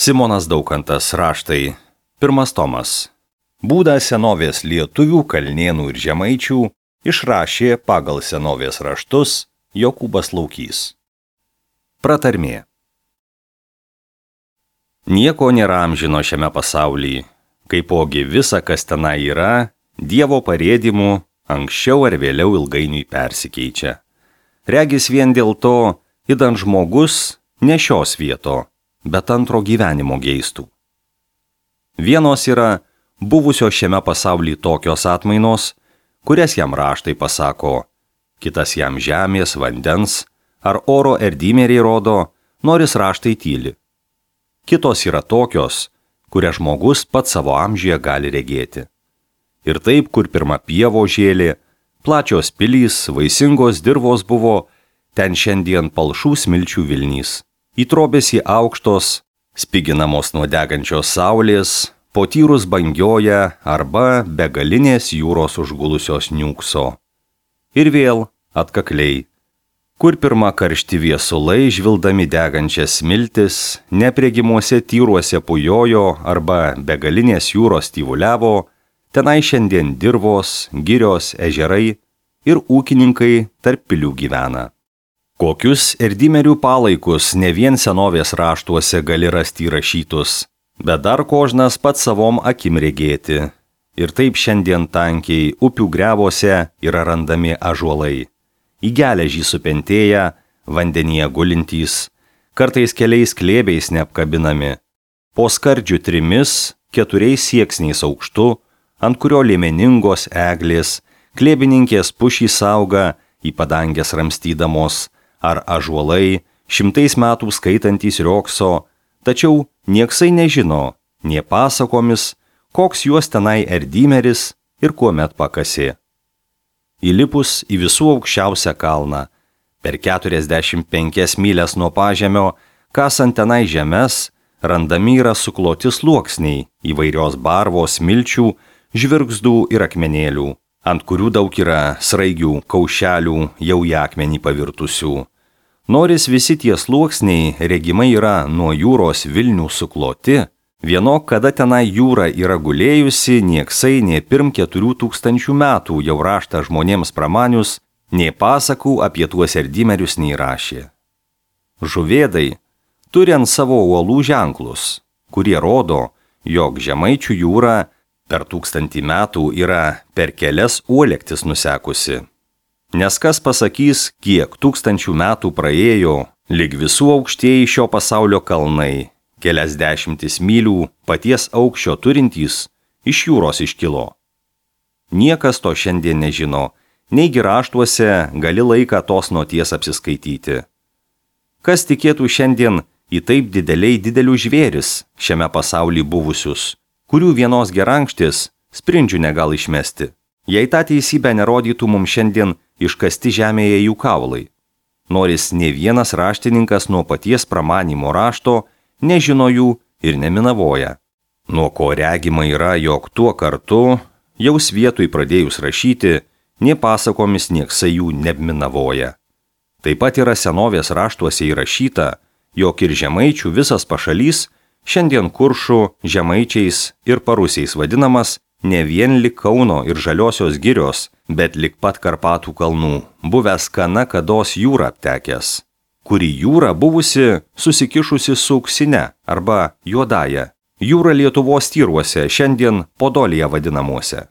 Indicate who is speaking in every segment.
Speaker 1: Simonas Daukantas, Raštai, 1 tomas. Būdą senovės lietuvių, kalnėnų ir žemaičių išrašė pagal senovės raštus Jokūbas Laukys. Pratarmė. Nieko nėra amžino šiame pasaulyje, kaipogi visa, kas tenai yra, Dievo parėdimu anksčiau ar vėliau ilgainiui persikeičia. Regis vien dėl to, idant žmogus ne šios vieto, bet antro gyvenimo geistų. Vienos yra buvusios šiame pasaulyje tokios atmainos, kurias jam raštai pasako, kitas jam žemės, vandens ar oro erdymeriai rodo, noris raštai tyli. Kitos yra tokios, kurias žmogus pats savo amžiuje gali regėti. Ir taip, kur pirma pievo žėlė, plačios pilys, vaisingos dirvos buvo, ten šiandien palšų smilčių vilnys. Įtrobėsi aukštos, spiginamos nuo degančios saulės, po tyrus bangioja arba begalinės jūros užgulusios niūkso. Ir vėl atkakliai, kur pirma karšti viesulai žvildami degančias smiltis, nepregimuose tyruose pujojo arba begalinės jūros tyvuliavo, tenai šiandien dirvos, girios, ežerai ir ūkininkai tarp pilių gyvena. Kokius erdymerių palaikus ne vien senovės raštuose gali rasti įrašytus, bet dar kožnas pats savom akim regėti. Ir taip šiandien tankiai upių grevuose yra randami ąžuolai. Į geležį supentėję, vandenyje gulintys, kartais keliais klėbiais neapkabinami. Po skardžių 3-4 sieksniais aukštu, ant kurio liemeningos eglės, klėbininkės pušys auga į padangės ramstydamos, ar ąžuolai 100 metų skaitantys riokso, tačiau nieksai nežino, nie pasakomis, koks juos tenai erdymeris ir kuomet pakasė. Įlipus į visų aukščiausią kalną, per 45 mylias nuo pažemio, kasant tenai žemes, randami yra sukloti sluoksniai įvairios barvos, smilčių, žvirgzdų ir akmenėlių, ant kurių daug yra sraigių, kaušelių, jau į akmenį pavirtusių. Noris visi tie sluoksniai regimai yra nuo jūros vilnių sukloti, vienok kada tenai jūra yra gulėjusi, nieksai nė pirm 4000 metų jau raštą žmonėms pramanius, nė pasakų apie tuos erdymerius neįrašė. Žuvėdai turi ant savo uolų ženklus, kurie rodo, jog Žemaičių jūra per 1000 metų yra per kelias uolektis nusekusi. Nes kas pasakys, kiek 1000 metų praėjo, lyg visų aukštieji šio pasaulio kalnai, kelias 10 mylių paties aukščio turintys, iš jūros iškilo. Niekas to šiandien nežino, neigi raštuose gali laiką tos noties apsiskaityti. Kas tikėtų šiandien į taip didelių žvėris šiame pasaulyje buvusius, kurių vienos gerankštis sprindžių negal išmesti. Jei tą teisybę nerodytų mums šiandien iškasti žemėje jų kaulai. Noris ne vienas raštininkas nuo paties pramanymo rašto nežino jų ir neminavoja. Nuo ko regima yra, jog tuo kartu, jau svietui pradėjus rašyti, nie pasakomis nieksai jų neminavoja. Taip pat yra senovės raštuose įrašyta, jog ir Žemaičių visas pašalys šiandien Kuršų, Žemaičiais ir Parusiais vadinamas ne vien lik Kauno ir Žaliosios girios, bet lik pat Karpatų kalnų, buvęs kana kados jūra aptekęs, kuri jūra buvusi susikišusi su auksine arba juodąja, jūra Lietuvos tyruose, šiandien Podolija vadinamuose.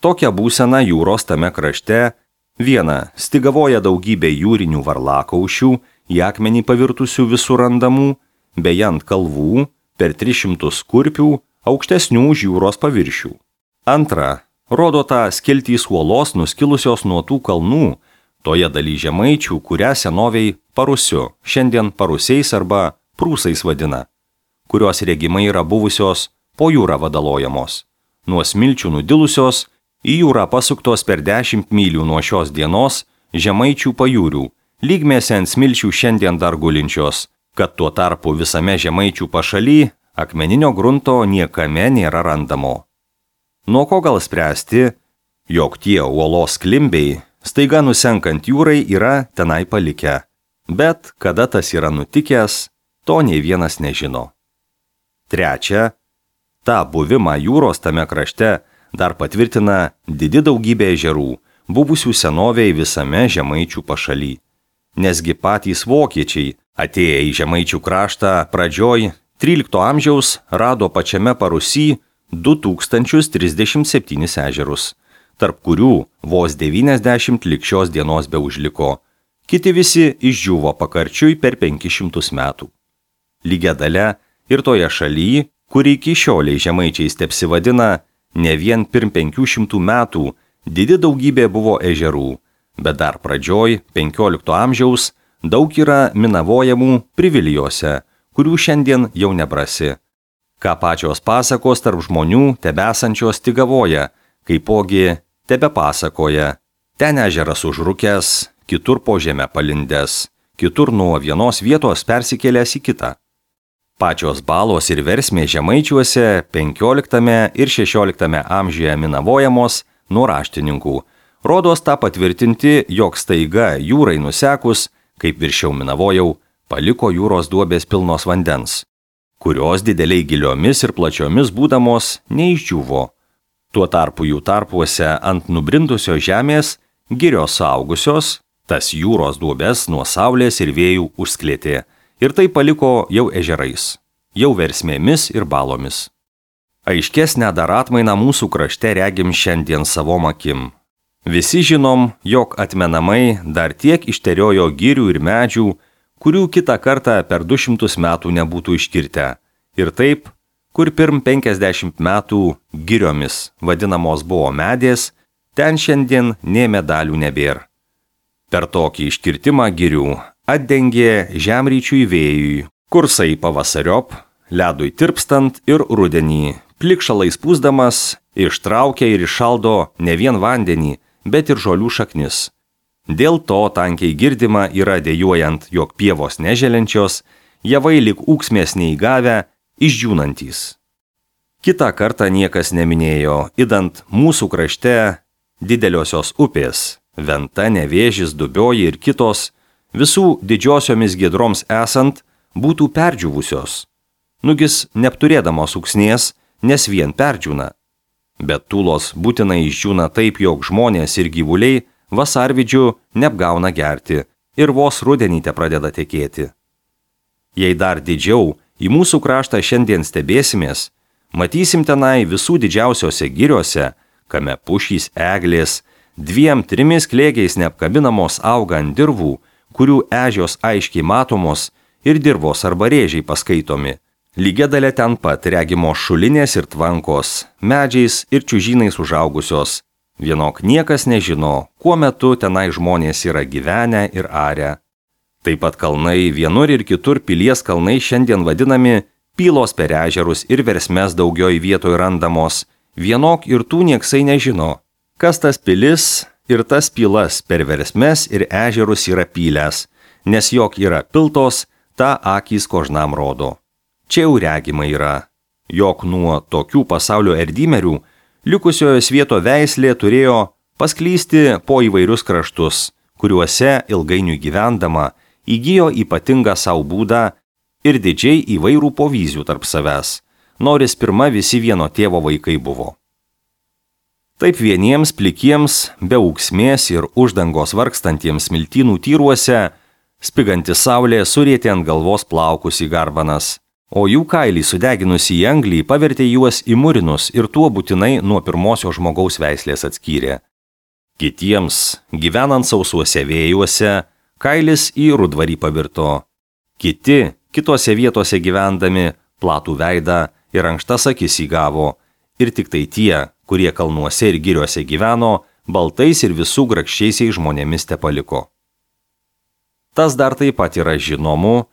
Speaker 1: Tokia būsena jūros tame krašte, viena stigavoja daugybė jūrinių varlakaušių, į akmenį pavirtusių visur randamų, beje ant kalvų, per 300 kurpių, aukštesnių už jūros paviršių. Antra, rodo tą skiltys uolos nuskilusios nuo tų kalnų, toje daly Žemaičių, kurią senoviai Parusiu, šiandien Parusiais arba Prūsais vadina, kurios regimai yra buvusios po jūrą vadalojamos, nuo smilčių nudilusios, į jūrą pasuktos per 10 mylių nuo šios dienos Žemaičių pajūrių, lygmėse ant smilčių šiandien dar gulinčios, kad tuo tarpu visame Žemaičių pašaly akmeninio grunto niekame nėra randamo. Nuo ko gal spręsti, jog tie uolos klimbiai, staiga nusenkant jūrai, yra tenai palikę, bet kada tas yra nutikęs, to nei vienas nežino. Trečia, tą buvimą jūros tame krašte dar patvirtina didi daugybė ežerų, buvusių senovėj visame Žemaičių pašaly. Nesgi patys vokiečiai, atėję į Žemaičių kraštą pradžioj 13 amžiaus, rado pačiame Parusy 2037 ežerus, tarp kurių vos 90 lig šios dienos beužliko. Kiti visi išdžiuvo pakarčiui per 500 metų. Lygia dalia ir toje šalyje, kuri iki šioliai Žemaičiais tepsivadina, ne vien pirm 500 metų didi daugybė buvo ežerų, bet dar pradžioj 15 amžiaus daug yra minavojamų Privilijose, kurių šiandien jau nebrasi. Ką pačios pasakos tarp žmonių tebesančios tik gavoja, kaipogi tebepasakoja. Ten ežeras užrukęs, kitur po žemę palindęs, kitur nuo vienos vietos persikėlęs į kitą. Pačios balos ir versmė Žemaičiuose 15 ir 16 amžiuje minavojamos nuo raštininkų. Rodos tą patvirtinti, jog staiga jūrai nusekus, kaip viršiau minavojau, paliko jūros duobės pilnos vandens, kurios dideliai giliomis ir plačiomis būdamos neišdžiuvo. Tuo tarpu jų tarpuose ant nubrindusios žemės girios suaugusios, tas jūros duobės nuo saulės ir vėjų užsklėtė ir tai paliko jau ežerais, jau versmėmis ir balomis. Aiškesnę dar atmainą mūsų krašte regim šiandien savom akim. Visi žinom, jog atmenamai dar tiek išteriojo girių ir medžių, kurių kitą kartą per 200 metų nebūtų iškirtę. Ir taip, kur pirm 50 metų giriomis vadinamos buvo medės, ten šiandien nė medalių nebėr. Per tokį iškirtimą girių atdengė žemryčiui vėjui, kursai pavasariop, ledui tirpstant ir rudenį, plikšalais pūsdamas, ištraukia ir iššaldo ne vien vandenį, bet ir žolių šaknis. Dėl to tankiai girdima yra dejuojant, jog pievos neželenčios, javai lik ūksmės neįgavę, išdžiūnantys. Kitą kartą niekas neminėjo, idant mūsų krašte dideliosios upės, Venta, Nevėžis, Dubioji ir kitos, visų didžiosiomis giedroms esant, būtų perdžiūvusios. Nugis neapturėdamos ūksnės, nes vien perdžiūna. Bet tūlos būtinai išdžiūna taip, jog žmonės ir gyvuliai vasarvidžių neapgauna gerti ir vos rudenį te pradeda tekėti. Jei dar didžiau į mūsų kraštą šiandien stebėsimės, matysim tenai visų didžiausiose giriose, kame pušys, eglės, 2-3 klėgiais neapkabinamos auga ant dirvų, kurių ežios aiškiai matomos ir dirvos arba rėžiai paskaitomi. Lygia dalia ten pat regimos šulinės ir tvankos, medžiais ir čiužynais užaugusios. Vienok niekas nežino, kuo metu tenai žmonės yra gyvenę ir arę. Taip pat kalnai, vienur ir kitur pilies kalnai šiandien vadinami pylos per ežerus ir versmes daugioj vietoj randamos. Vienok ir tų nieksai nežino, kas tas pilis ir tas pylas per versmes ir ežerus yra pylęs, nes jog yra piltos, tą akys kožnam rodo. Čia jau regima yra, jog nuo tokių pasaulio erdymerių likusiojo svieto veislė turėjo pasklysti po įvairius kraštus, kuriuose ilgainiui gyvendama įgijo ypatingą savo būdą ir didžiai įvairių povyzių tarp savęs, noris pirma visi vieno tėvo vaikai buvo. Taip vieniems plikiems, be ūksmės ir uždangos vargstantiems smiltynų tyruose, spiganti saulė surėtė ant galvos plaukus į garbanas, o jų kailį sudeginusi į anglį pavertė juos į murinus ir tuo būtinai nuo pirmosios žmogaus veislės atskyrė. Kitiems, gyvenant sausuose vėjuose, kailis į rudvarį pavirto. Kiti, kitose vietose gyvendami, platų veidą ir ankštas akis įgavo, ir tik tai tie, kurie kalnuose ir giriuose gyveno, baltais ir visų grakščiaisiais žmonėmis tepaliko. Tas dar taip pat yra žinomu,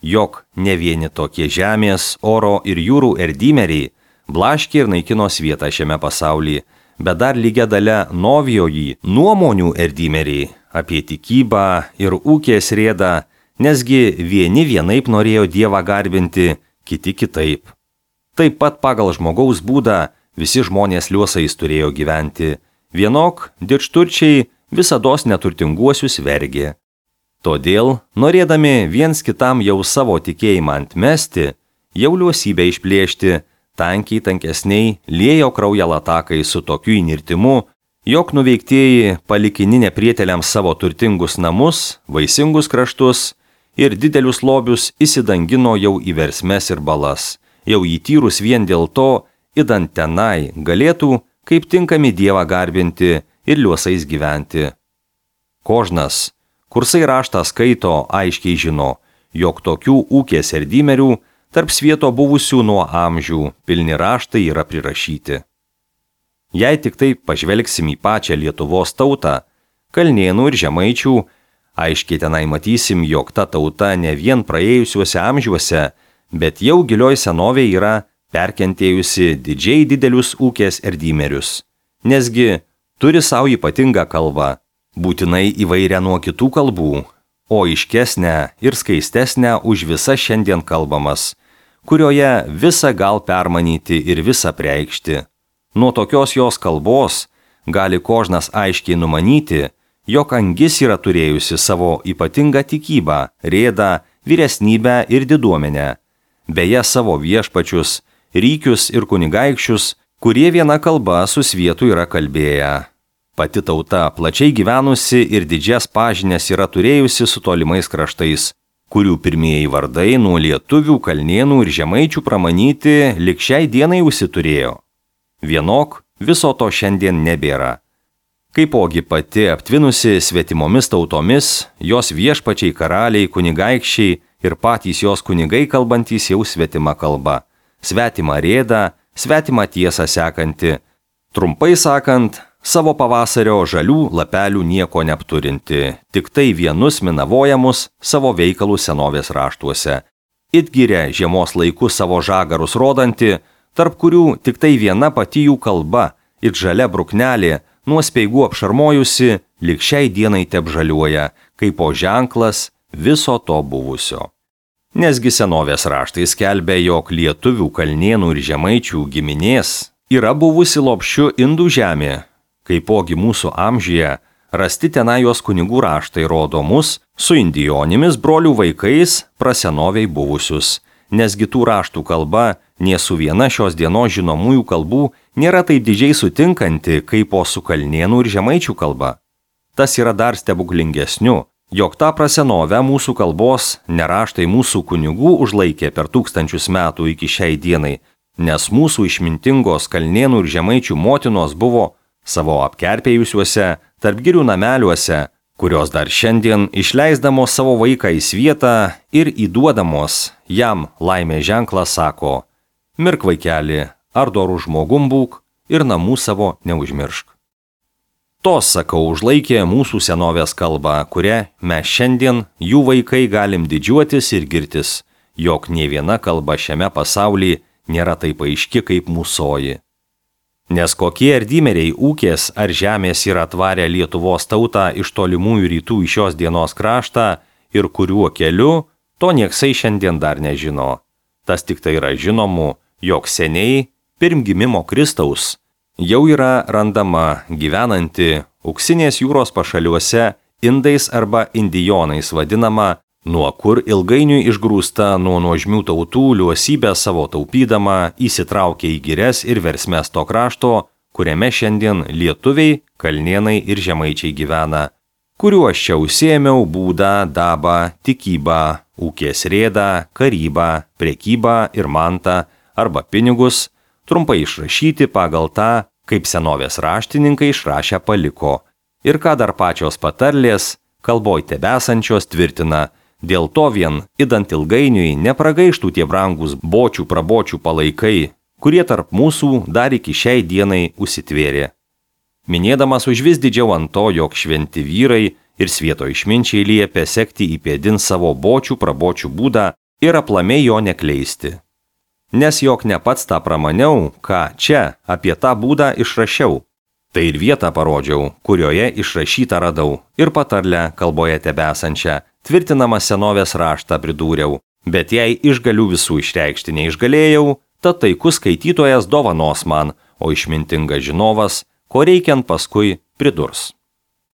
Speaker 1: jog ne vieni tokie žemės, oro ir jūrų erdymeriai blaškė ir naikino svietą šiame pasaulyje, bet dar lygia dalia novijoji nuomonių erdymeriai apie tikybą ir ūkės rėdą, nesgi vieni vienaip norėjo Dievą garbinti, kiti kitaip. Taip pat pagal žmogaus būdą visi žmonės liuosais turėjo gyventi, vienok didžturčiai visados neturtinguosius vergė. Todėl, norėdami viens kitam jau savo tikėjimą antmesti, jau liuosybę išplėšti, tankiai tankesniai liejo kraują latakai su tokiu įnirtimu, jog nuveiktieji palikini neprieteliams savo turtingus namus, vaisingus kraštus ir didelius lobius įsidangino jau į versmes ir balas, jau įtyrus vien dėl to, idant tenai galėtų, kaip tinkami Dievą garbinti ir liuosais gyventi. Kožnas, kursai raštą skaito, aiškiai žino, jog tokių ūkės erdymerių tarp svieto buvusių nuo amžių pilni raštai yra prirašyti. Jei tik taip pažvelgsim į pačią Lietuvos tautą, kalnėnų ir žemaičių, aiškiai tenai matysim, jog ta tauta ne vien praėjusiuose amžiuose, bet jau gilioj senovėje yra perkentėjusi didžiai didelius ūkės erdymerius. Nesgi turi savo ypatingą kalbą, būtinai įvairią nuo kitų kalbų, o aiškesnę ir skaistesnę už visas šiandien kalbamas, kurioje visą gal permanyti ir visą preikšti. Nuo tokios jos kalbos gali Kožnas aiškiai numanyti, jog angis yra turėjusi savo ypatingą tikybą, rėdą, vyresnybę ir diduomenę, beje savo viešpačius, rykius ir kunigaikščius, kurie viena kalba su svietu yra kalbėję. Pati tauta plačiai gyvenusi ir didžias pažinės yra turėjusi su tolimais kraštais, kurių pirmieji vardai nuo lietuvių, kalnėnų ir žemaičių pramanyti lig šiai dienai užsiturėjo. Vienok viso to šiandien nebėra. Kaipogi pati aptvinusi svetimomis tautomis, jos viešpačiai karaliai, kunigaikščiai ir patys jos kunigai kalbantys jau svetima kalba, svetima rėda, svetima tiesą sekanti, trumpai sakant, savo pavasario žalių lapelių nieko neapturinti, tik tai vienus minavojamus savo veikalus senovės raštuose. It giria žiemos laiku savo žagarus rodanti, tarp kurių tik tai viena pati jų kalba, it žalia bruknelė, nuo speigų apšarmojusi, lig šiai dienai tebžaliuoja, kaip po ženklas viso to buvusio. Nesgi senovės raštai skelbia, jog lietuvių, kalnėnų ir žemaičių giminės yra buvusi lopšiu Indų žemė, kaipogi mūsų amžiuje rasti tenai jos kunigų raštai rodo mus su indijonimis brolių vaikais prasenoviai buvusius, nesgi tų raštų kalba nė su viena šios dienos žinomųjų kalbų nėra taip didžiai sutinkanti, kaip po su kalnėnų ir žemaičių kalba. Tas yra dar stebuklingesniu, jog tą prasenovę mūsų kalbos neraštai mūsų kunigų užlaikė per 1000 metų iki šiai dienai, nes mūsų išmintingos kalnėnų ir žemaičių motinos buvo savo apkerpėjusiuose tarp girių nameliuose, kurios dar šiandien išleisdamos savo vaiką į svietą ir įduodamos jam laimės ženklą sako: mirk vaikeli, ar dorų žmogum būk ir namų savo neužmiršk. Tos, sakau, užlaikė mūsų senovės kalbą, kurią mes šiandien, jų vaikai, galim didžiuotis ir girtis, jog nė viena kalba šiame pasaulyje nėra taip aiški kaip mūsoji. Nes kokie erdymeriai ūkės ar žemės yra atvarę Lietuvos tautą iš tolimųjų rytų į šios dienos kraštą ir kuriuo keliu, to nieksai šiandien dar nežino. Tas tik tai yra žinomu, jog seniai, pirm gimimo Kristaus, jau yra randama gyvenanti Auksinės jūros pašaliuose indais arba indijonais vadinama, nuo kur ilgainiui išgrūsta nuo nuožmių tautų liuosybę savo taupydama įsitraukė į girias ir versmes to krašto, kuriame šiandien lietuviai, kalnėnai ir žemaičiai gyvena, kuriuo aš čia užsiėmiau būdą, dabą, tikybą, ūkės rėdą, karybą, prekybą ir mantą arba pinigus, trumpai išrašyti pagal tą, kaip senovės raštininkai išrašę paliko, ir ką dar pačios patarlės, kalboj tebesančios tvirtina, dėl to vien, idant ilgainiui, nepragaištų tie brangus bočių prabočių palaikai, kurie tarp mūsų dar iki šiai dienai užsitvėrė. Minėdamas užvis didžiau ant to, jog šventi vyrai ir svieto išminčiai liepė sekti į pėdin savo bočių prabočių būdą ir aplamai jo nekleisti. Nes jog ne pats tą pramaniau, ką čia apie tą būdą išrašiau. Tai ir vietą parodžiau, kurioje išrašytą radau, ir patarlę kalboje tebesančią, tvirtinamą senovės raštą pridūriau, bet jei išgalių visų išreikšti neišgalėjau, tad taikus skaitytojas dovanos man, o išmintingas žinovas, ko reikiant paskui pridurs.